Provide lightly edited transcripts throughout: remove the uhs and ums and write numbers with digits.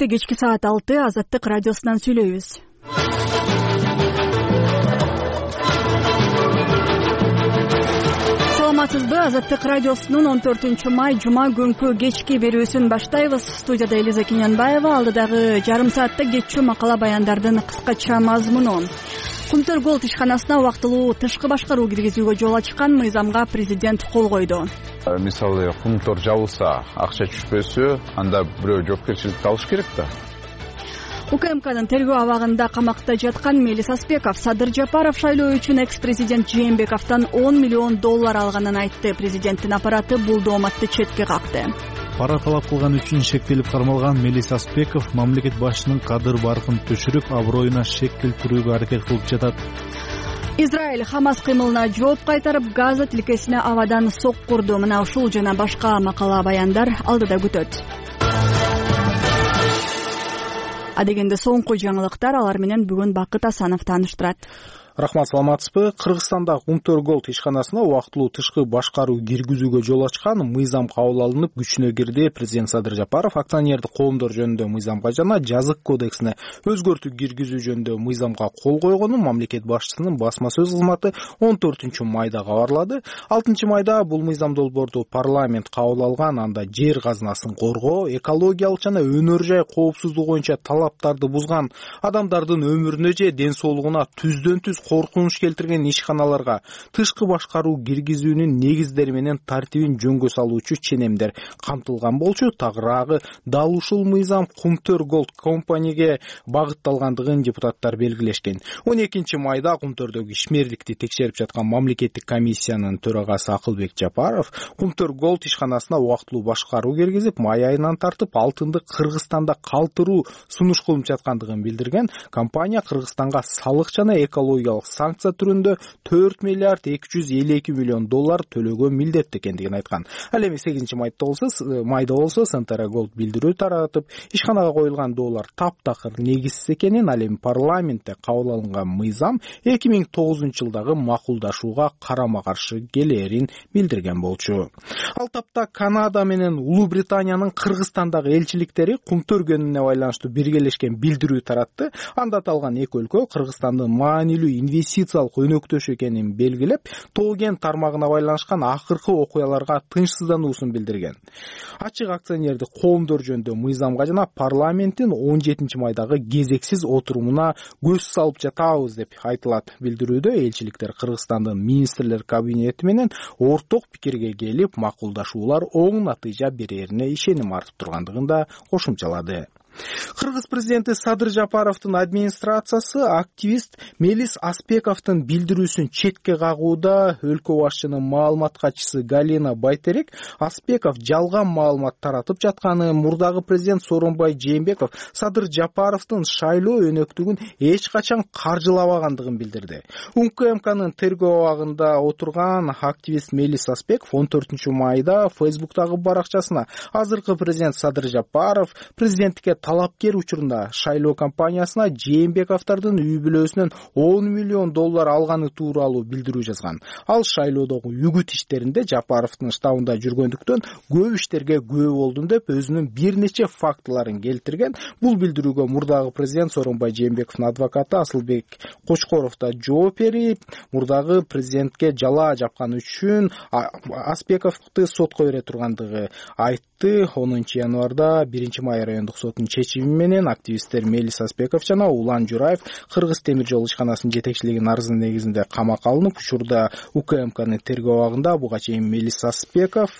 Адилетте кечки саат 6 Азаттык радиосунан сүйлөйбүз. Саламатсызбы? Азаттык радиосунун 14-май жума күнкү кечки берүүсүн баштайбыз. Студияда Элиза Кинянбаева, алдыдагы жарым саатта кетчү макала баяндардын кыскача мазмуну. Кумтөр Голд ишканасына убактылуу тышкы башкаруу киргизүүгө жол ачкан мыйзамга президент кол койду. Мисалы, кумтор жабылса, акча түшпөсө, анда бирөө жоопкерчиликти алыш керек да. УКМКнын тергөө абагында камакта жаткан Мелис Аспеков Садыр Жапаров шайлоо үчүн экс-президент Жээнбековдон $10 миллион алганын айтты. Президенттин аппараты бул дооматты четке какты. Пара талап кылган үчүн шектелип кармалган Мелис Аспеков мамлекет башчынын кадыр-баркын түшүрүп, аброюна шек келтирүүгө аракет кылып жатат. Израиль Хамас кыймылына жооп кайтарып, Газа тилкесине абадан соккурду. Мына ушул жана башка макала баяндар алдыда күтөт. Адегенде соңку жаңылыктар, алар менен бүгүн Бакыт Асанов тааныштырат. Рахмат, саламатсызбы? Кыргызстанда Кумтөр Голд ишканасына убактылуу тышкы башкаруу киргизүүгө жол ачкан мыйзам кабыл алынып күчүнө кирди. Президент Садыр Жапаров акционердик коомдор жөнүндө мыйзамга жана жазык кодексине өзгөртүү киргизүү жөнүндө мыйзамга кол койгонун мамлекет башчысынын басма сөз кызматы 14-майда кабарлады. 6-майда бул мыйзам долбоорду парламент кабыл алган. Анда жер казынасын коргоо, экологиялык жана өнөр жай коопсуздугу боюнча талаптарды бузган, адамдардын өмүрүнө же ден соолугуна түздөн түз коркунуч келтирген ишканаларга тышкы башкаруу киргизүүнүн негиздери менен тартибин жөнгө салуучу ченемдер камтылган болчу. Тагыраагы дал ушул мыйзам Кумтөр Голд компанияге багытталгандыгын депутаттар белгилешкен. 12-майда Кумтөрдөгү ишмерликти текшерип жаткан мамлекеттик комиссиянын төрагасы Акылбек Жапаров Кумтөр Голд ишканасына убактылуу башкаруу киргизип, май айынан тартып алтынды Кыргызстанда калтыруу сунуш кылынып жаткандыгын билдирген. Компания Кыргызстанга салык жана экологиялык санкция түрүндө $4 миллиард 252 миллион төлөөгө милдеттүү экендигин айткан. Ал эми 8-майда болсо Сантара Голд билдирүү таратып, ишканага коюлган доолор таптакыр негизсиз экенин, ал эми парламентте кабыл алынган мыйзам 2009-жылдагы макулдашууга карама-каршы келээрин билдирген болчу. Ал тапта Канада менен Улуу Британиянын Кыргызстандагы элчиликтери Кумтөр көнүнө байланыштуу биргелешкен билдирүү таратты. Анда аталган эки өлкө Кыргызстандын маанилүү инвестициялык өнөктөш экенин белгилеп, тоо кен тармагына байланышкан акыркы окуяларга тынчсыздануусун билдирген. Ачык акционердик коомдор жөнүндө мыйзамга жана парламенттин 17-майдагы кезексиз отурумуна көз салып жатабыз деп айтылат. Билдирүүдө элчиликтер Кыргызстандын министрлер кабинети менен орток пикирге келип, макулдашуулар оң натыйжа берерине ишеним артып тургандыгын да кошумчалады. Кыргыз президенти Садыр Жапаровдун администрациясы активист Мелис Аспековдун билдирүүсүн четке кагууда. Өлкө башчынын маалымат катчысы Галина Байтерек Аспеков жалган маалымат таратып жатканы, мурдагы президент Сооронбай Жээнбеков Садыр Жапаровдун шайлоо өнөктүгүн эч качан каржылабагандыгын билдирди. УКМКнын тергөө абагында отурган активист Мелис Аспеков 14-майда Фейсбуктагы баракчасына азыркы президент Садыр Жапаров президенттикке талапкер учурунда шайлоо компаниясына Жээнбековдордун үй бүлөсүнөн $10 миллион алганы тууралуу билдирүү жазган. Ал шайлоодогу үгүт иштеринде Жапаровдун штабында жүргөндүктөн көп иштерге күбө болдум деп өзүнүн бир нече фактыларын келтирген. Бул билдирүүгө мурдагы президент Сооронбай Жээнбековдун адвокаты Асылбек Кочкоров да жооп берип, мурдагы президентке жала жапканы үчүн Аспековду сотко бере тургандыгы айтты. 10-январда 1-май райондук сотунун чечими менен активисттер Мелис Аспеков жана Улан Жураев Кыргыз темир жол ишканасынын жетекчилигинин арызы негизинде камакка алынып, учурда УКМКнын тергөө абагында. Буга чейин Мелис Аспеков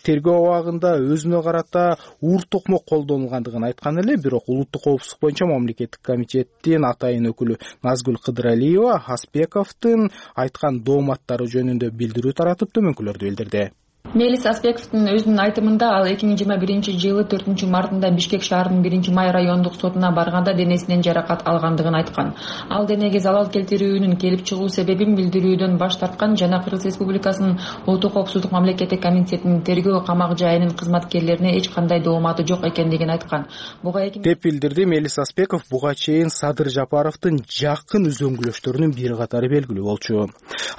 тергөө абагында өзүнө карата уур токмок колдонулгандыгын айткан эле, бирок улуттук коопсуздук боюнча мамлекеттик комитеттин атайын өкүлү Назгүл Кыдыралиева Аспековдун айткан дооматтары жөнүндө билдирүү таратып, төмөнкүлөрдү билдирди. Мелис Аспековдун өзүнүн айтымында ал 2021-жылы 4-мартында Бишкек шаарынын 1-май райондук сотуна барганда денесинен жаракат алгандыгын айткан. Ал денеге залал келтирүүнүн келип чыгуу себебин билдирүүдөн баш тарткан жана Кыргыз Республикасынын Улуттук коопсуздук мамлекеттик комитетинин тергөө камак жайынын кызматкерлерине эч кандай дооматы жок экендигин айткан. Деп билдирди Мелис Аспеков. Буга чейин Садыр Жапаровдун жакын үзөңгүлөштөрүнүн бир катары белгилүү болчу.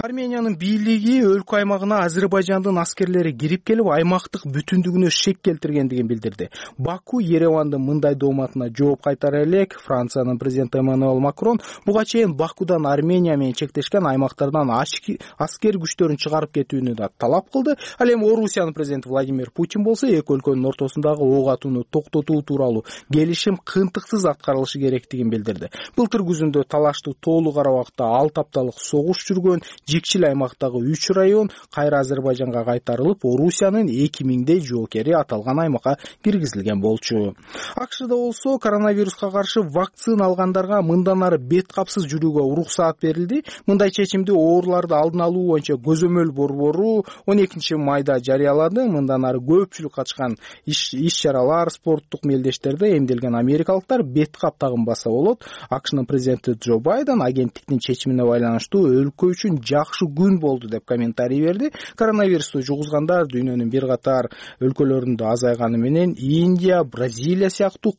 Армениянын бийлиги өлкө аймагына Азербайжандын аскерлери аскерлери кирип келип аймактык бүтүндүгүнө шек келтиргендигин билдирди. Баку Еревандын мындай дооматына жооп кайтара элек Франциянын президенти Эммануэль Макрон буга чейин Бакудан Армения менен чектешкен аймактардан аскер күчтөрүн чыгарып кетүүнү да талап кылды. Ал эми Орусиянын президенти Владимир Путин болсо эки өлкөнүн ортосундагы ок атууну токтотуу тууралуу келишим кыйынтыксыз аткарылышы керектигин билдирди. Былтыр күзүндө талаштуу тоолуу кара убакта 6 апталык согуш жүргөн Жикшил аймактагы 3 район кайра Азербайжанга кайтарылып, Орусиянын 2000 жоокери аталган аймакка киргизилген болчу. АКШда болсо коронавируска каршы вакцина алгандарга мындан ары бет капсыз жүрүүгө уруксаат берилди. Мындай чечимди ооруларды алдын алуу боюнча көзөмөл борбору 12 майда жарыялады. Мындан ары көпчүлүк катышкан иш-чаралар, спорттук мелдештерде эмделген америкалыктар бет кап тагынбаса болот. АКШнын президенти Джо Байден агенттиктин чечимине байланыштуу өлкө үчүн жакшы күн болду деп комментарий берди. Коронавирусту жугузгандар дүйнөнүн бир катар өлкөлөрүндө азайганы менен Индия, Бразилия сыяктуу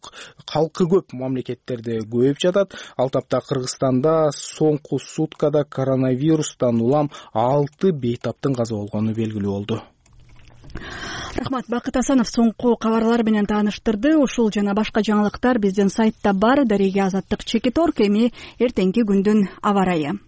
калкы көп мамлекеттерде көбөйүп жатат. Ал тапта Кыргызстанда соңку суткада коронавирустан улам 6 бейтаптын каза болгону белгилүү болду. Рахмат, Бакыт Асанов соңку кабарлар менен тааныштырды. Ушул жана башка жаңылыктар биздин сайтта бар. Дареге Азаттык Чекиторг. Эми эртеңки күндүн аба ырайы.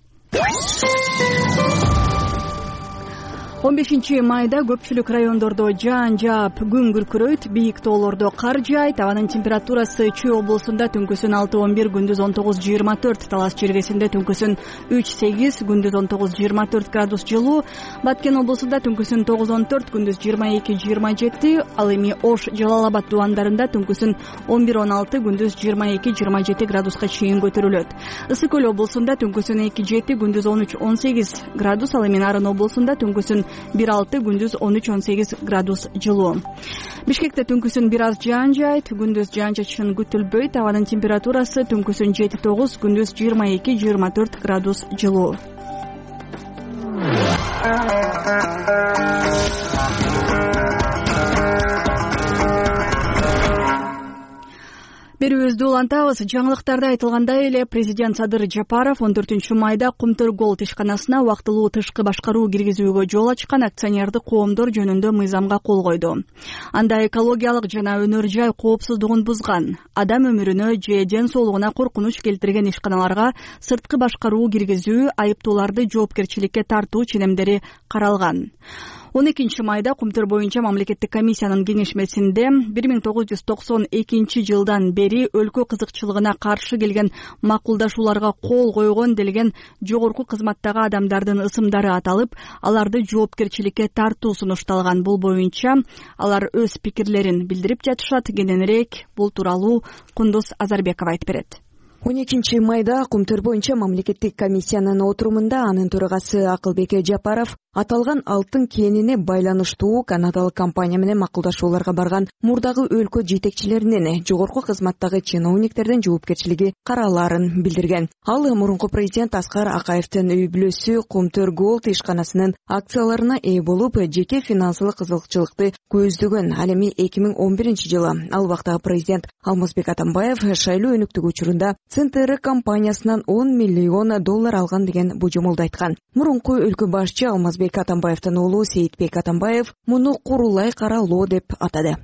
15 майда көпчүлүк райондордо жаан жаап, күн күркүрөйт, бийик тоолордо кар жаайт. Абанын температурасы Чүй облусунда түнкүсүн 6-11, күндүз 19-24, Талас жергесинде түнкүсүн 3-8, күндүз 19-24 градус жылуу, Баткен облусунда түнкүсүн 9-14, күндүз 22-27, ал эми Ош, Жалал Абад дубандарында түнкүсүн 11-16, күндүз 22-27 градуска чейин көтөрүлөт. Ысык Көл облусунда түнкүсүн 2-7, күндүз 13-18 градус, ал эми Нарын облусунда түнкүсүн 1-6, күндүз 13-18 градус жылуу. Бишкекте түнкүсүн бир аз жаан жаайт, күндүз жаан-чачын күтүлбөйт. Абанын температурасы түнкүсүн 7-9, күндүз 22-24 градус жылуу. Берүүбүздү улантабыз. Жаңылыктарда айтылгандай эле президент Садыр Жапаров 14 майда Кумтөр Голд ишканасына убактылуу тышкы башкаруу киргизүүгө жол ачкан акционердик коомдор жөнүндө мыйзамга кол койду. Анда экологиялык жана өнөр жай коопсуздугун бузган, адам өмүрүнө же ден соолугуна коркунуч келтирген ишканаларга сырткы башкаруу киргизүү, айыптууларды жоопкерчиликке тартуу ченемдери каралган. 12 майда Кумтөр боюнча мамлекеттик комиссиянын кеңешмесинде 1992 жылдан бери өлкө кызыкчылыгына каршы келген макулдашууларга кол койгон делген жогорку кызматтагы адамдардын ысымдары аталып, аларды жоопкерчиликке тартуу сунушталган. Бул боюнча алар өз пикирлерин билдирип жатышат. Кененирээк бул тууралуу Кундуз Азарбекова айтып берет. 12 майда Кумтөр боюнча мамлекеттик комиссиянын отурумунда анын төрагасы Акылбек Жапаров аталган алтын кенине байланыштуу канадалык компания менен макулдашууларга барган мурдагы өлкө жетекчилеринин жогорку кызматтагы чиновниктердин жоопкерчилиги каралаарын билдирген. Ал мурунку президент Аскар Акаевдин үй бүлөсү Кумтөр Голд ишканасынын акцияларына ээ болуп, жеке финансылык кызыкчылыкты көздөгөн. Ал эми 2011 жылы ал убактагы президент Алмазбек Атамбаев шайлоо өнүктүгү учурунда ЦНТР компаниясынан $10 миллион алган деген божомолду айткан. Мурунку өлкө башчы Алмазбек Атамбаевдин уулу Сейитбек Атамбаев муну курулай каралоо деп атады.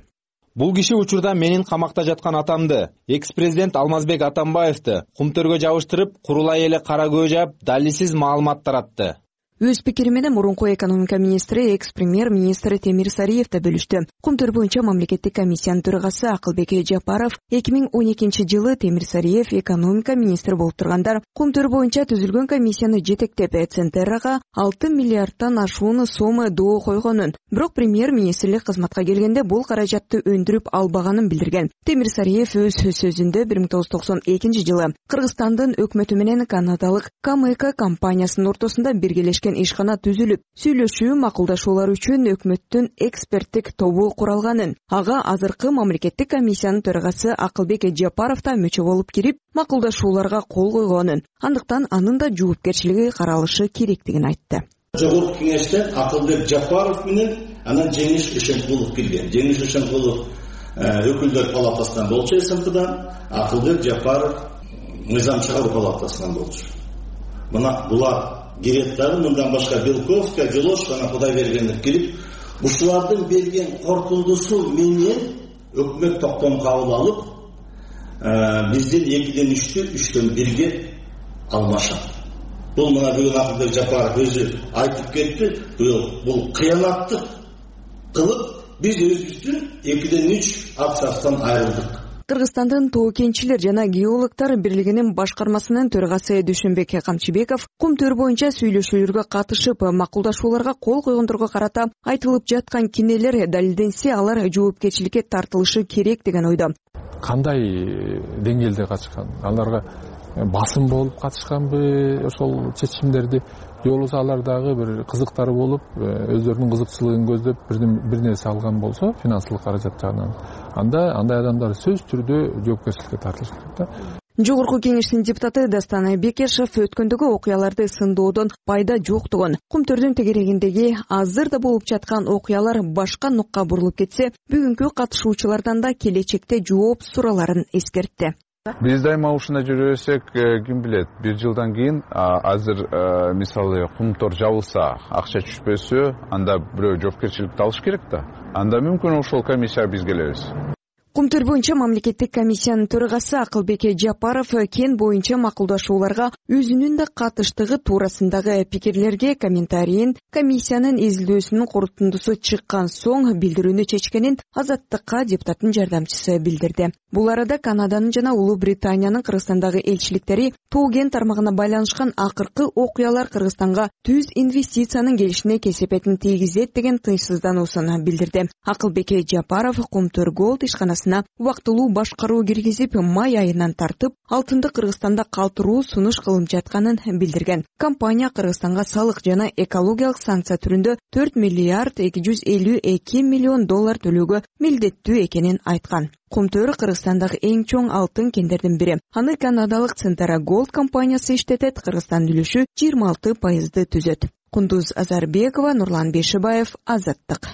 Бул киши учурда менин камакта жаткан атамды, экс-президент Алмазбек Атамбаевди Кумтөргө жабыштырып, курулай эле кара көз жаап, далилсиз маалымат таратты. Өз пикири менен мурунку экономика министри, экс-премьер-министр Темир Сариев да бөлүштү. Кумтөр боюнча мамлекеттик комиссиянын төрагасы Акылбек Жапаров 2012 жылы Темир Сариев экономика министри болуп турганда Кумтөр боюнча түзүлгөн комиссияны жетектеп, ЦНТРга 6 миллиардтан ашуун сом доо койгонун, бирок премьер-министрлик кызматка келгенде бул каражатты өндүрүп албаганын билдирген. Темир Сариев өз сөзүндө 1992 жылы Кыргызстандын өкмөтү менен канадалык КМК компаниясынын ортосунда биргелешкен ишкана түзүлүп, сүйлөшүү, макулдашуулар үчүн өкмөттүн эксперттик тобу куралганын, ага азыркы мамлекеттик комиссиянын төрагасы Акылбек Жапаров да мүчө болуп кирип, макулдашууларга кол койгонун, андыктан анын да жоопкерчилиги каралышы керектигин айтты. Жогорку кеңештен Акылбек Жапаров менен анан Жеңиш Ишенкулов кирген. Жеңиш Ишенкулов өкүлдөр палатасынан болчу СМКдан, Акылбек Жапаров мыйзам чыгаруу палатасынан болчу. Мына булар кирет дагы, мындан башка Белковская, Делош, ана Кудайбергенов кирип, ушулардын берген корутундусу менен өкмөт токтом кабыл алып, бизден 2ден 3-төн 1ге алмашат. Бул мына бүгүн Акылбек Жапаров өзү айтып кетти. Бул кыянаттык кылып биз өзүбүздүн 2ден 3 акциясынан айрылдык. Кыргызстандын Тоо кенчилер жана геологтор бирлигинин башкармасынын төрагасы Дүйшөнбек Камчыбеков кум төр боюнча сүйлөшүүлөргө катышып, макулдашууларга кол койгондорго карата айтылып жаткан кинелер далилденсе, алар жоопкерчиликке тартылышы керек деген ойдо. Кандай деңгээлде катышкан? Аларга басым болуп катышканбы ошол чечимдерди, же болбосо алар дагы бир кызыктары болуп, өздөрүнүн кызыкчылыгын көздөп бир нерсе алган болсо, финансылык каражат жагынан, андай адамдар сөзсүз түрдө жоопкерчиликке тартылышы керек да. Жогорку кеңештин депутаты Дастан Бекешев өткөндөгү окуяларды сындоодон пайда жоктугун, кум төрдүн тегерегиндеги азыр да болуп жаткан окуялар башка нукка бурулуп кетсе, бүгүнкү катышуучулардан да келечекте жооп суроолорун эскертти. Биз дайыма ушундай жүрө берсек, ким билет, 1 жылдан кийин азыр мисалы кумтор жабылса, акча түшпөсө, анда бирөө жоопкерчиликти алыш керек да. Анда мүмкүн ошол комиссияга биз келебиз. Кум төр боюнча мамлекеттик комиссиянын төрагасы Акылбек Жапаров кен боюнча макулдашууларга өзүнүн да катыштыгы туурасындагы пикирлерге комментарийин комиссиянын изилдөөсүнүн корутундусу чыккан соң билдирүүнү чечкенин Азаттыкка депутаттын жардамчысы билдирди. Бул арада Канаданын жана Улуу Британиянын Кыргызстандагы элчиликтери Тоо кен тармагына байланышкан акыркы окуялар Кыргызстанга түз инвестициянын келишине кесепетин тийгизет деген тынчсыздануусун билдирди. Акылбек Жапаров кум төр голд ишканасына убактылуу башкаруу киргизип, май айынан тартып, алтынды Кыргызстанда калтыруу сунуш кылынып жатканын билдирген. Компания Кыргызстанга салык жана экологиялык санкция түрүндө 4 миллиард 252 миллион доллар төлөөгө милдеттүү экенин айткан. Кум төр Кыргызстандагы эң чоң алтын кендердин бири. Аны канадалык Центара Голд компаниясы иштетет, Кыргызстандын үлүшү 26% түзөт. Кундуз Азарбекова, Нурлан Бешибаев, Азаттык.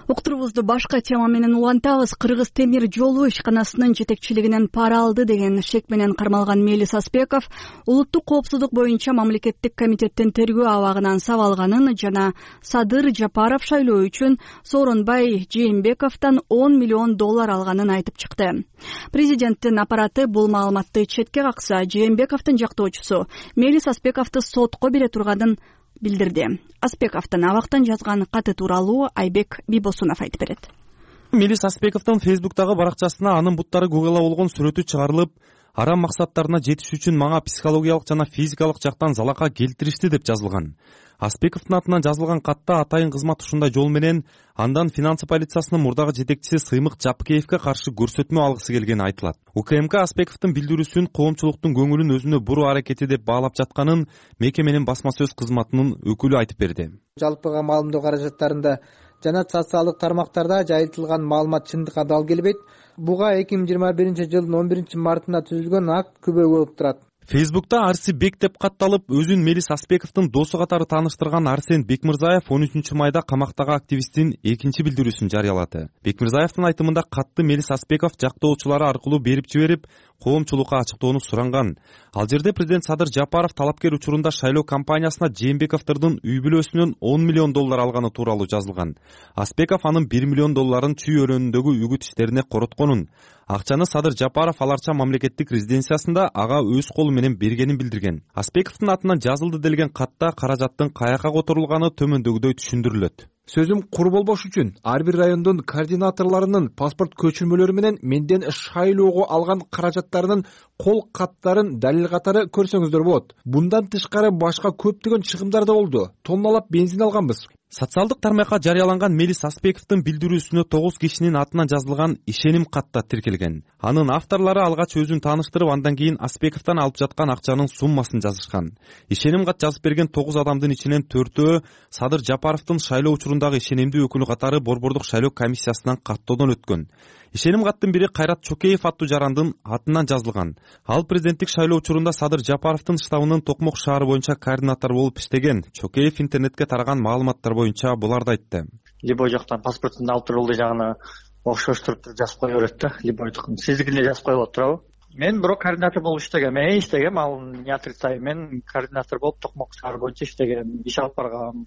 Уктурубузду башка тема менен улантабыз. Кыргыз темир жолу ишканасынын жетекчилигинен пара алды деген шек менен кармалган Мелис Аспеков улуттук коопсуздук боюнча мамлекеттик комитеттин тергөө абагынан сабалганын жана Садыр Жапаров шайлоо үчүн Сооронбай Жээнбековдон 10 миллион доллар алганын айтып чыкты. Президенттин аппараты бул маалыматты четке какса, Жээнбековдун жактоочусу Мелис Аспековду сотко бере турганын билдирди. Аспековдун абактан жазган каты тууралуу Айбек Бибосунов айтып берет. Мелис Аспековдун Фейсбуктагы баракчасына анын буттары Google'a болгон сүрөтү чыгарылып, арам максаттарына жетиш үчүн мага психологиялык жана физикалык жактан залака келтиришти деп жазылган. Аспековдун атынан жазылган катта атайын кызмат ушундай жол менен андан финансы полициясынын мурдагы жетекчиси Сыймык Жапкеевке каршы көрсөтмө алгысы келгени айтылат. УКМК Аспековдун билдирүүсүн коомчулуктун көңүлүн өзүнө буруу аракети деп баалап жатканын мекеменин басма сөз кызматынын өкүлү айтып берди. Жалпыга маалымдоо каражаттарында жана социалдык тармактарда жайылтылган маалымат чындыкка дал келбейт. Буга 2021 жылдын 11 мартында түзүлгөн акт күбө болуп турат. Фейсбукта Арси Бек деп катталып, өзүн Мелис Аспековдун досу катары тааныштырган Арсен Бекмырзаев 13 майда камактагы активисттин экинчи билдирүүсүн жарыялады. Бекмырзаевдин айтымында катты Мелис Аспеков жактоочулары аркылуу берип жиберип, коомчулукка ачыктоону суранган. Ал жерде президент Садыр Жапаров талапкер учурунда шайлоо кампаниясына Жээнбековдун үй бүлөсүнөн 10 миллион доллар алганы тууралуу жазылган. Аспеков анын 1 миллион долларын чүй өрөөнүндөгү үгүт иштерине коротконун. Акчаны Садыр Жапаров аларча мамлекеттик резиденциясында ага өз колу менен бергенин билдирген. Аспековдун атынан жазылды делген катта каражаттын каяка которулганы төмөндөгүдөй түшүндүрүлөт. Сөзүм кур болбош үчүн ар бир райондун координаторлорунун паспорт көчүрмөлөрү менен менден шайлоого алган каражаттарынын кол каттарын далил катары көрсөңүздөр болот. Bundan тышкары башка көптөгөн чыгымдар да болду. Тонналап бензин алганбыз. Социалдык тармакка жарыяланган Мелис Аспековдун билдирүүсүнө 9 кишинин атынан жазылган ишеним катта тиркелген. Анын авторлору алгач өзүн тааныштырып, андан кийин Аспековдон алып жаткан акчанын суммасын жазышкан. Ишеним кат жазып берген 9 адамдын ичинен 4-өө Садыр Жапаровдун шайлоо учурундагы ишенимдүү өкүлү катары Борбордук шайлоо комиссиясынан каттоодон өткөн. Ишеним каттын бири Кайрат Чокеев аттуу жарандын атынан жазылган. Ал президенттик шайлоо учурунда Садыр Жапаровдун штабынын Токмок шаары боюнча координатор болуп иштеген. Чокеев интернетке тараган маалыматтар боюнча буларды айтты. Либо жактан паспортун алып турулду жагына окшоштуруп жазып кое берет да, любойдукун сиздикине жазып коюп отурабы. Мен бирок координатор болуп иштегем, ал не отрицаю, мен координатор болуп токмок шаар боюнча иштегем, иш алып баргам.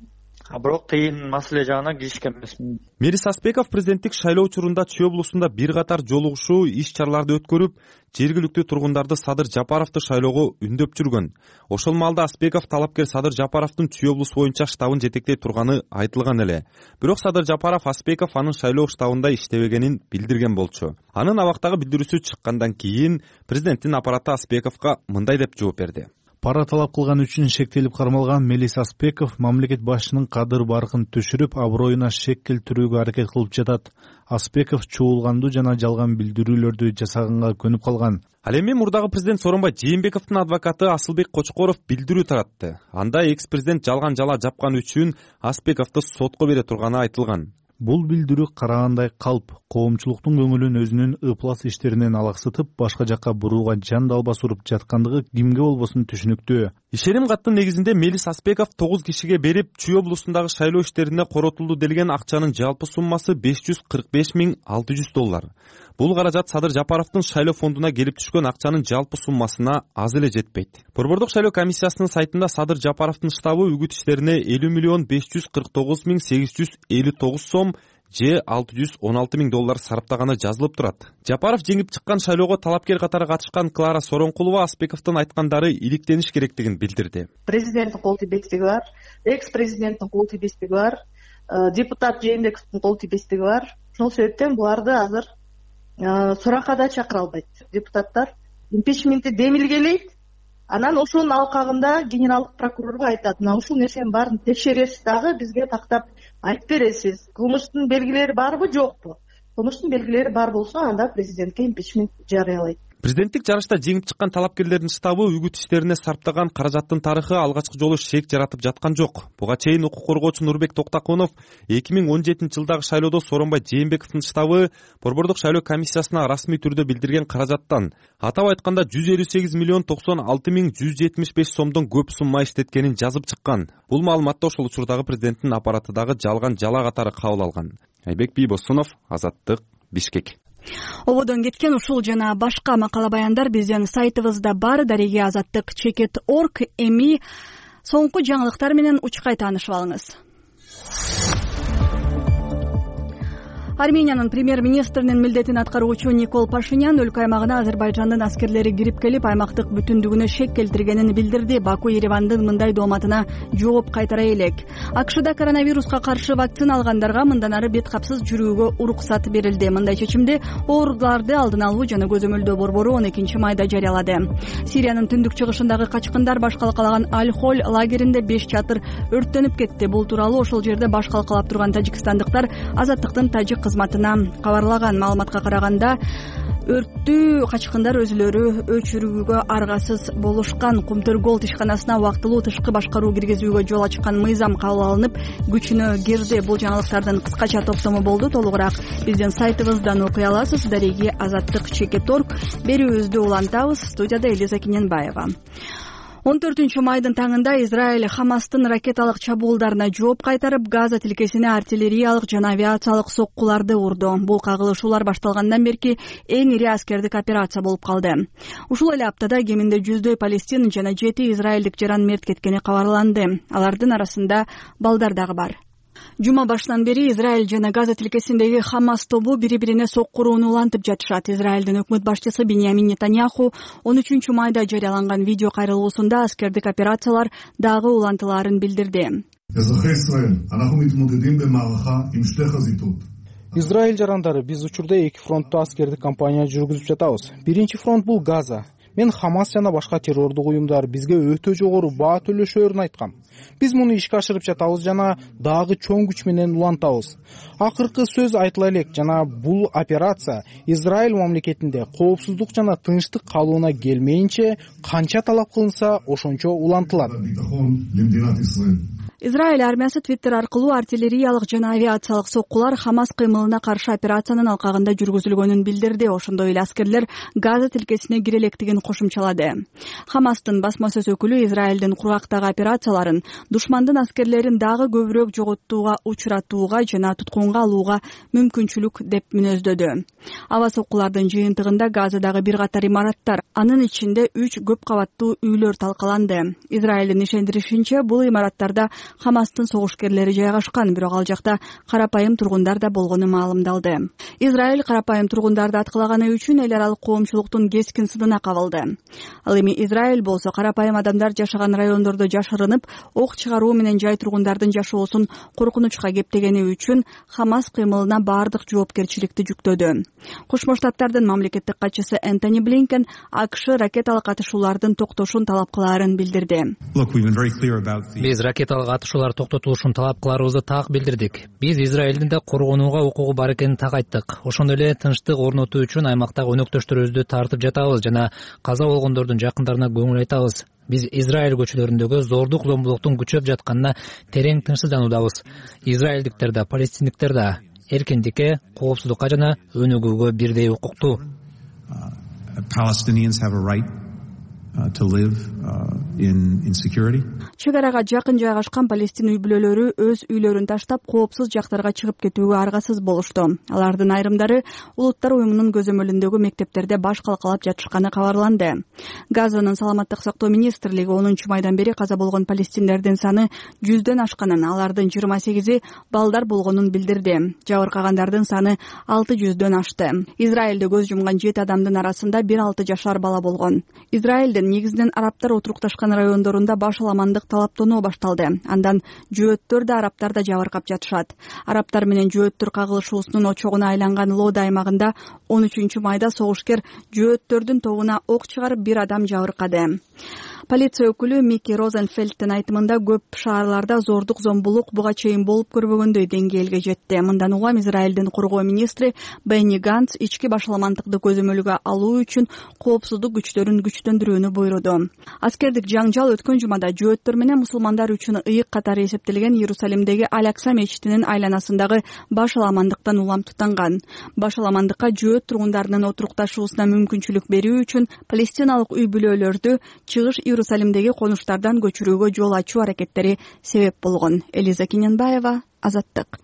Бирок тыйын маселе жагына киришкен эмесмин. Мелис Аспеков президенттик шайлоо учурунда Чүй облусунда бир катар жолугушуу иш-чараларды өткөрүп, жергиликтүү тургундарды Садыр Жапаровду шайлоого үндөп жүргөн. Ошол маалда Аспеков талапкер Садыр Жапаровдун Чүй облусу боюнча штабын жетектей турганы айтылган эле. Бирок Садыр Жапаров Аспеков анын шайлоо штабында иштебегенин билдирген болчу. Анын абактагы билдирүүсү чыккандан кийин президенттин аппараты Аспековго мындай деп жооп берди. Пара талап кылган үчүн шектелип кармалган Мелис Аспеков мамлекет башчынын кадыр баркын түшүрүп, аброюна шек келтирүүгө аракет кылып жатат. Аспеков чуулгандуу жана жалган билдирүүлөрдү жасаганга көнүп калган. Ал эми мурдагы президент Сооронбай Жээнбековдун адвокаты Асылбек Кочкоров билдирүү таратты. Анда экс-президент жалган жала жапкан үчүн Аспековду сотко бере турганы айтылган. Бул билдирүү карагандай калп, коомчулуктун көңүлүн өзүнүн ыплас иштеринен алаксытып, башка жакка бурууга жан далбас уруп жаткандыгы кимге болбосун түшүнүктүү. Ишеним каттын негизинде Мелис Аспеков 9 кишиге берип, Чүй облусундагы шайлоо иштерине коротулду делген акчанын жалпы суммасы $545,600. Бул каражат Садыр Жапаровдун шайлоо фондуна келип түшкөн акчанын жалпы суммасына аз эле жетпейт. Борбордук шайлоо комиссиясынын сайтында Садыр Жапаровдун штабы үгүт иштерине $50,549,859 сом же $616,000 сараптаганы жазылып турат. Жапаров жеңип чыккан шайлоого талапкер катары катышкан Клара Соронкулова Аспековдун айткандары иликтениш керектигин билдирди. Президенттин кол тийбестиги бар, экс-президенттин кол тийбестиги бар, депутат Жээнбековдун кол тийбестиги бар. Ошол себептен буларды азыр суракка да чакыра албайт. Депутаттар импичментти демилгелейт, анан ошонун алкагында генералдык прокурорго айтат, мына ушул нерсенин баарын текшересиз дагы бизге тактап айтып бересиз. Кылмыштын белгилери барбы, жокпу? Кылмыштын белгилери бар болсо, анда президентке импичмент жарыялайт. Президенттик жарышта жеңип чыккан талапкерлердин штабы үгүт иштерине сарптаган каражаттын тарыхы алгачкы жолу шек жаратып жаткан жок. Буга чейин укук коргоочу Нурбек Токтакунов 2017 жылдагы шайлоодо Сооронбай Жээнбековдун штабы борбордук шайлоо комиссиясына расмий түрдө билдирген каражаттан, атап айтканда $158,96,175 сомдон көп сумма иштеткенин жазып чыккан. Бул маалыматты ошол учурдагы президенттин аппаратыдагы жалган жала катары кабыл алган. Айбек Бийбосунов, Азаттык, Бишкек. Ободон кеткен ушул жана башка макала баяндар биздин сайтыбызда бар. Дареги Азаттык.org. Эми соңку жаңылыктар менен учкай таанышып алыңыз. Армениянын премьер-министринин милдетин аткаруучу Никол Пашинян өлкө аймагына Азербайжандын аскерлери кирип келип, аймактык бүтүндүгүнө шек келтиргенин билдирди. Баку Еревандын мындай дооматына жооп кайтара элек. АКШда коронавируска каршы вакцина алгандарга мындан ары бет капсыз жүрүүгө уруксат берилди. Мындай чечимди ооруларды алдын алуу жана көзөмөлдөө борбору 12 майда жарыялады. Сириянын түндүк чыгышындагы качкындар баш калкалаган Аль-Холь лагеринде 5 чатыр өрттөнүп кетти. Бул тууралуу ошол жерде баш калкалап турган тажикстандыктар Азаттыктын тажик кызматына кабарлаган. Маалыматка караганда, өрттү качкындар өзүлөрү өчүрүүгө аргасыз болушкан. Кумтөр-Голд ишканасына убактылуу тышкы башкаруу киргизүүгө жол ачкан мыйзам кабыл алынып, күчүнө кирди. Бул жаңылыктардын кыскача топтому болду. Толугураак биздин сайтыбыздан окуй аласыз. Дареги Азаттык.org. Берүүбүздү улантабыз. Студияда Элиза Киненбаева. 14 майдын таңында Израиль Хамастын ракеталык чабуулдарына жооп кайтарып, Газа тилкесине артиллериялык жана авиациялык соккуларды урду. Бул кагылышуулар башталгандан берки эң ири аскердик операция болуп калды. Ушул эле аптада кеминде 100дөй палестин жана 7 израилдик жаран мерт кеткени кабарланды. Алардын арасында балдар дагы бар. Жума башынан бери Израиль жана Газа тилкесиндеги Хамас тобу бири-бирине соккурууну улантып жатышат. Израилдин өкмөт башчысы Биньямин Нетаньяху 13 майда жарыяланган видео кайрылуусунда аскердик операциялар дагы улантылаарын билдирди. Израиль жарандары, биз учурда эки фронтту аскердик кампания жүргүзүп жатабыз. Биринчи фронт бул Газа. Мен Хамас жана башка террордук уюмдар бизге өтө жогору баа төлөшөөрүн айткам. Биз муну ишке ашырып жатабыз жана дагы чоң күч менен улантабыз. Акыркы сөз айтыла элек жана бул операция Израиль мамлекетинде коопсуздук жана тынчтык калууна келмейинче канча талап кылынса ошончо улантылат. Израиль армиясы Твиттер аркылуу артиллериялык жана авиациялык соккулар Хамас кыймылына каршы операциянын алкагында жүргүзүлгөнүн билдирди. Ошондой эле аскерлер Газа тилкесине кире электигин кошумчалады. Хамастын басма сөз өкүлү Израилдин кургактагы операцияларын душмандын аскерлерин дагы көбүрөөк жоготууга учуратууга жана туткунга алууга мүмкүнчүлүк деп мүнөздөдү. Аба соккулардын жыйынтыгында Газадагы бир катар имараттар, анын ичинде 3 көп кабаттуу үйлөр талкаланды. Израилдин ишендиришинче, бул имараттарда Хамастын согушкерлери жайгашкан, бирок ал жакта карапайым тургундар да болгону маалымдалды. Израиль карапайым тургундарды аткылаганы үчүн эл аралык коомчулуктун кескин сынына кабылды. Ал эми Израиль болсо карапайым адамдар жашаган райондордо жашырынып, ок чыгаруу менен жай тургундардын жашоосун коркунучка кептегени үчүн Хамас кыймылына баардык жоопкерчиликти жүктөдү. Кошмо Штаттардын мамлекеттик катчысы Энтони Блинкен АКШ ракеталык атышуулардын токтошун талап кылаарын билдирди. Биз ракеталык атышуулар токтотулушун талап кыларыбызды так билдирдик. Биз Израилдин да коргонууга укугу бар экенин так айттык. Ошондой эле тынчтык орнотуу үчүн аймактагы өнөктөштөрүбүздү тартып жатабыз жана каза болгондордун жакындарына көңүл айтабыз. Биз Израиль көчөлөрүндөгү зордук зомбулуктун күчөп жатканына терең тынчсыздануудабыз. Израилдиктер да, палестиндиктер да эркиндикке, коопсуздукка жана өнүгүүгө бирдей укуктуу. Чек арага жакын жайгашкан палестин үй бүлөлөрү өз үйлөрүн таштап коопсуз жактарга чыгып кетүүгө аргасыз болушту. Алардын айрымдары Улуттар уюмунун көзөмөлүндөгү мектептерде баш калкалап жатышканы кабарланды. Газанын саламаттык сактоо министрлиги 10 майдан бери каза болгон палестиндердин саны 100дөн ашканын, алардын 28и балдар болгонун билдирди. Жабыркагандардын саны 600дөн ашты. Израилде көз жумган 7 адамдын арасында 1-6 жашар бала болгон. Израилдин негизинен арабтар отурукташкан райондорунда баш аламандык талаптануу башталды. Андан жөөттөр да арабтар да жабыркап жатышат. Арабтар менен жөөттөр кагылышуусунун очогуна айланган Лода аймагында 13 майда согушкер жөөттөрдүн тобуна ок чыгарып 1 адам жабыркады. Полиция өкүлү Микки Розенфельдтин айтымында көп шаарларда зордук зомбулук буга чейин болуп көрбөгөндөй деңгээлге жетти. Мындан улам Израилдин коргоо министри Бенни Ганц ички башаламандыкты көзөмөлгө алуу үчүн коопсуздук күчтөрүн күчтөндүрүүнү буйруду. Аскердик жаңжал өткөн жумада жөөттөр менен мусулмандар үчүн ыйык катары эсептелген Иерусалимдеги Алякса мечитинин айланасындагы башаламандыктан улам тутанган. Башаламандыкка жөөт тургундарынын отурукташуусуна мүмкүнчүлүк берүү үчүн палестиналык үй бүлөлөрдү чыгыш Иерусалимдеги конуштардан көчүрүүгө жол ачуу аракеттери себеп болгон. Элиза Кинянбаева, Азаттык.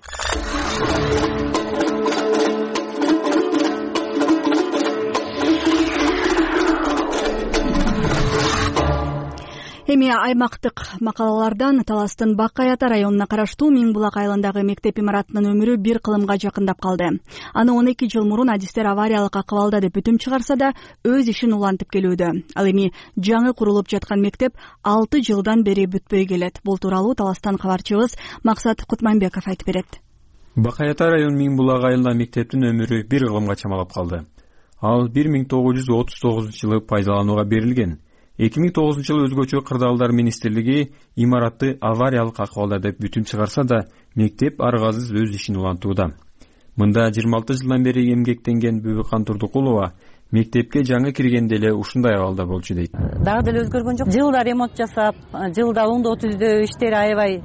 Эми аймактык макалалардан Таластын Бакаята районуна караштуу Миң Булак айылындагы мектеп имаратынын өмүрү бир кылымга жакындап калды. Аны 12 жыл мурун адистер авариялык акыбалда деп бүтүм чыгарса да, өз ишин улантып келүүдө. Ал эми жаңы курулуп жаткан мектеп 6 жылдан бери бүтпөй келет. Бул тууралуу Таластан кабарчыбыз Максат Кутманбеков айтып берет. Бакаята район Миң Булак айылында мектептин өмүрү бир кылымга чамалап калды. Ал 1939 жылы пайдаланууга берилген. 2009 жылы өзгөчө кырдаалдар министрлиги имаратты авариялык акыбалда деп бүтүм чыгарса да, мектеп аргасыз өз ишин улантууда. Мында 26 жылдан бери эмгектенген Бүбүкан Турдукулова мектепке жаңы киргенде эле ушундай абалда болчу дейт. Дагы деле өзгөргөн жок. Жылда ремонт жасап, жылда оңдоо түздөө иштери аябай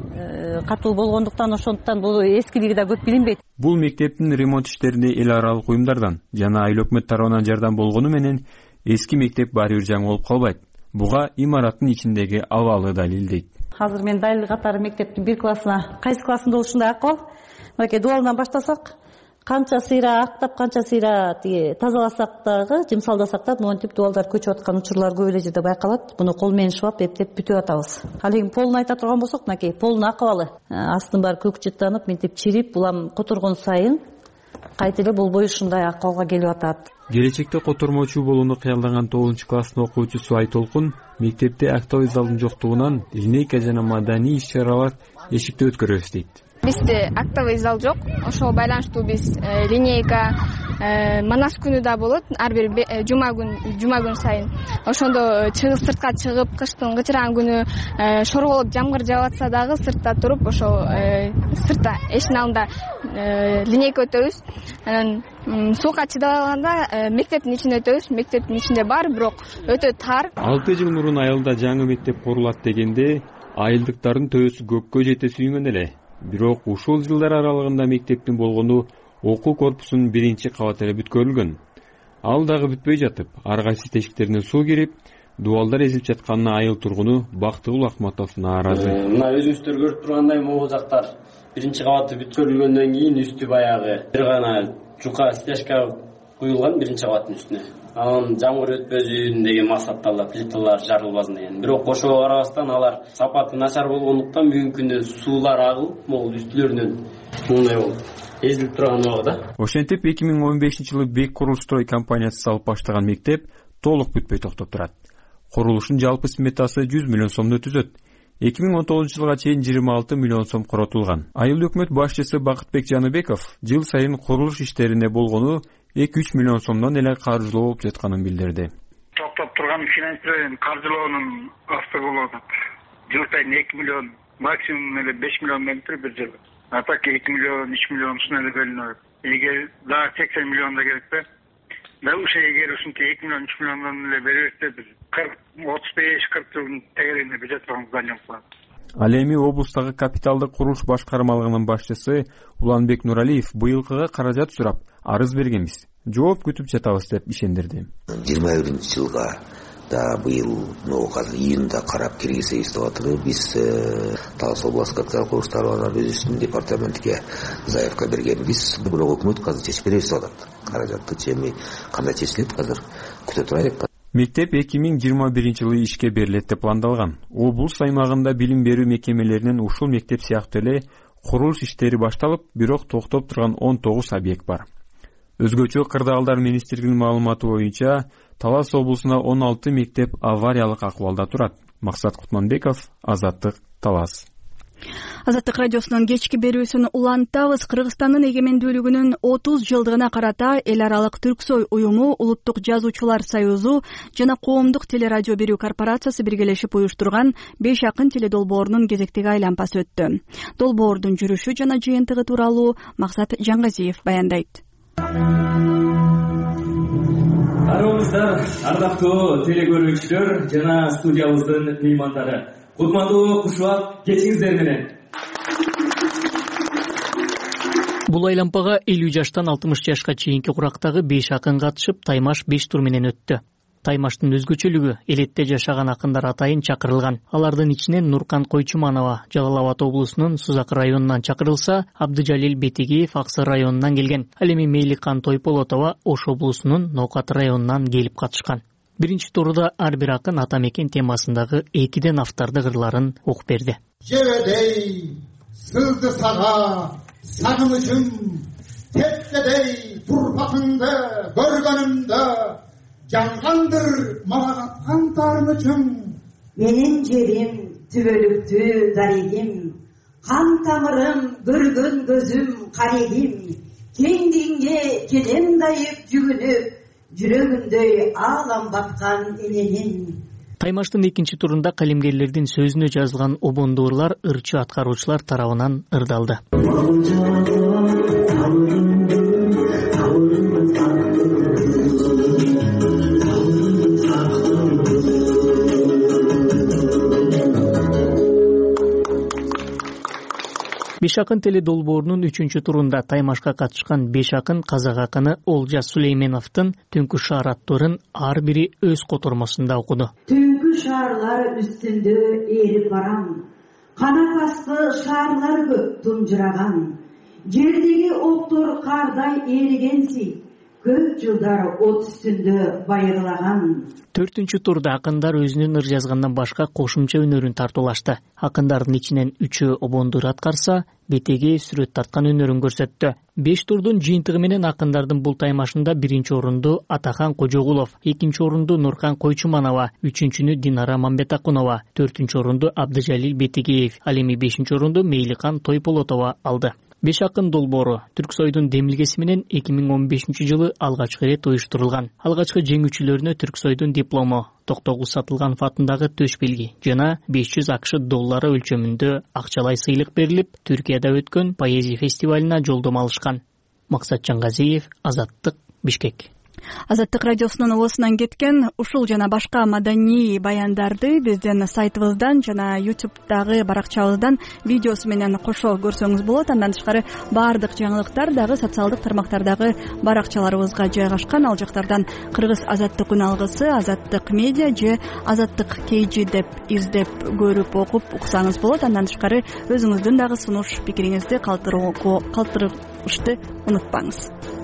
катуу болгондуктан, ошондуктан бул эскилиги да көп билинбейт. Бул мектептин ремонт иштерине эл аралык уюмдардан жана айыл өкмөт тарабынан жардам болгону менен эски мектеп баары бир жаңы болуп калбайт. Буга имараттын ичиндеги абалы далил дейт. Азыр мен далил катары мектептин бир классына, кайсы классында ушундай акыбал. Мынакей дуалдан баштасак, канча сыйра актап, канча сыйра тазаласак дагы, жымсалдасак да монтип дуалдар көчүп аткан учурлар көп эле жерде байкалат. Буну кол менен шыбап, эптеп бүтүп атабыз. Ал эми полун айта турган болсок, мынакей полунун акыбалы. Астын баары көкчүттанып, мынтип чирип, улам которгон сайын кайта эле болбой ушундай акыбалга келип атат. Келечекте котормочу болууну кыялдаган 9-класстын окуучусу Айтолкун мектепте актовый залдын жоктугунан линейка жана маданий иш-чаралар эшикте өткөрөбүз дейт. Бизде актовый зал жок, ошого байланыштуу биз линейка манас күнү да болот, ар бир жума күн сайын. Ошондо сыртка чыгып, кыштын кычыраган күнү шорголуп жамгыр жаап атса дагы сыртта туруп, ошо сыртта эшиктин алдында линейка өтөбүз. Анан суукка чыдабай калганда мектептин ичине өтөбүз. Мектептин ичинде бар, бирок өтө тар. 6 жыл мурун айылда жаңы мектеп курулат дегенде айылдыктардын төбөсү көккө жете сүйүнгөн эле. Бирок ушул жылдар аралыгында мектептин болгону окуу корпусунун биринчи кабаты эле бүткөрүлгөн. Ал дагы бүтпөй жатып, ар кайсы тешиктерине суу кирип, дубалдар эзилип жатканына айыл тургуну Бактыгул Акматов нааразы. Мына өзүңүздөр көрүп тургандай могу жактар биринчи кабаты бүткөрүлгөндөн кийин үстү баягы бир гана жука стяжка куюлган биринчи кабаттын үстүнө. Анан жамгыр өтпөзүн деген максаттарда плиталар жарылбасын деген. Бирок ошого карабастан алар сапаты начар болгондуктан бүгүнкү күндө суулар агылып, могул үстүлөрүнөн мындай болуп эзилип турган убагыда. Ошентип 2015-жылы Бек Курулстрой компаниясы салып баштаган мектеп толук бүтпөй токтоп турат. Курулуштун жалпы сметасы 100 миллион сомду түзөт. 2019-жылга чейин 26 миллион сом коротулган. Айыл өкмөт башчысы Бакытбек Жаныбеков жыл сайын курулуш иштерине болгону 2-3 миллион сомдон эле каржылоо болуп жатканын билдирди. Токтоп турган финансирование каржылоонун асты болуп атат. Жыл сайын 2 миллион, максимум эле 5 миллион менен бир жыл. А так 2 миллион, 3 миллион ушундай эле бөлүнөт. Эгер дагы 80 миллион да керекпи? Да ушул эгер ушинтип 2 миллион, 3 миллондон эле беребизде биз 35-40 жылдын тегерегинде бюджет здание болот. Ал эми облустагы капиталдык курулуш башкармалыгынын башчысы Уланбек Нуралиев быйылкыга каражат сурап арыз бергенбиз. Жооп күтүп жатабыз деп ишендирди. 21-жылга да быйыл азыр июнда карап киргизебиз деп атабыз. Биз Талас областтык капитал курулуштар бюджеттин департаментине заявка бергенбиз. Бирок өкмөт азыр чечип беребиз деп атат. Каражатты чеми кандай чечилет азыр күтө турайлык. Мектеп 2021-жылы ишке берилет деп пландалган. Облус аймагында билим берүү мекемелеринин ушул мектеп сыяктуу эле курулуш иштери башталып, бирок токтоп турган 19 объект бар. Өзгөчө Кырдаалдар министрлигинин маалыматы боюнча, Талас облусунда 16 мектеп авариялык акыбалда турат. Максат Кутманбеков, Азаттык, Талас. Азаттык радиосунун кечки берүүсүн улантабыз. Кыргызстандын эгемендүүлүгүнүн 30 жылдыгына карата эл аралык Түрксой уюму, Улуттук жазуучулар союзу жана Коомдук телерадио берүү корпорациясы биргелешип уюштурган 5 акын теледолбоорунун кезектеги айланпасы өттү. Долбоордун жүрүшү жана жыйынтыгы тууралуу Максат Жаңгазиев баяндайт. Арыбыздар, ардактуу телекөрүүчүлөр жана студиябыздын меймандары. Кутмандуу кушубак кечиңиздер менен. Бул айланпага 50 жаштан 60 жашка чейинки курактагы 5 акын катышып, таймаш 5 тур менен өттү. Таймаштын өзгөчөлүгү элетте жашаган акындар атайын чакырылган. Алардын ичинен Нуркан Койчуманова Жалал Абад облусунун Сузак районунан чакырылса, Абдыжалил Бетигиев Аксы районунан келген. Ал эми Мейликан Тойполотова Ош облусунун Нокат районунан келип катышкан. Биринчи турда ар бир акын ата мекен темасындагы 2ден автарды кырларын окуп берди. Жебедей сызды сага сагынычым, тепкедей турпатыңды көргөнүмдө жангандыр мага каткан таарынычым. Менин жерим түбөлүктүү дарегим, кан тамырым көргөн көзүм карегим, кеңдигиңе келем дайып жүгүнүп, жүрөгүндөй аалам баткан эненин. Таймаштын экинчи турунда калемгерлердин сөзүнө жазылган обондуурлар ырчы аткаруучулар тарабынан ырдалды. Беш акын теледолбоорунун 3-чү турунда таймашка катышкан 5 акын казак акыны Олжас Сулейменовдун Түнкү шаар аттарын ар бири өз котормосунда окуду. Түнкү шаарлар үстүндө эрип барам, канат асты шаарлар көп тунжураган, жердеги октор кардай эригенси, көп жылдар от үстүндө байырлаган. 4-чү турда акындар өзүнүн ыр жазгандан башка кошумча өнөрүн тартуулашты. Акындардын ичинен 3-өө обондур аткарса, Бетеги сүрөт тарткан өнөрүн көрсөттү. 5 турдун жыйынтыгы менен акындардын бул таймашында 1-чи орунду Атахан Кожогулов, 2-чи орунду Нуркан Койчуманова, 3-чүнү Динара Мамбетакунова, 4-чү орунду Абдыжалил Бетигиев, ал эми 5-чи орунду Мейликан Тойполотова алды. 5 акын долбоору Түрксойдун демилгеси менен 2015-жылы алгачкы ирет уюштурулган. Алгачкы жеңүүчүлөрүнө Түрксойдун диплому, Токтогул Сатылганов атындагы төш белги жана 500 АКШ доллары өлчөмүндө акчалай сыйлык берилип, Түркияда өткөн поэзия фестивалына жолдомо алышкан. Максат Жаңгазиев, Азаттык, Бишкек. Азаттык радиосунун оосунан кеткен ушул жана башка маданий баяндарды биздин сайтыбыздан жана YouTube'дагы баракчабыздан видеосу менен кошо көрсөңүз болот. Андан тышкары баардык жаңылыктар дагы социалдык тармактардагы баракчаларыбызга жайгашкан. Ал жактардан Кыргыз азаттык үн алгысы, Азаттык медиа же Азаттык KG деп издеп көрүп окуп уксаңыз болот. Андан тышкары өзүңүздүн дагы сунуш пикириңизди калтырышты унутпаңыз.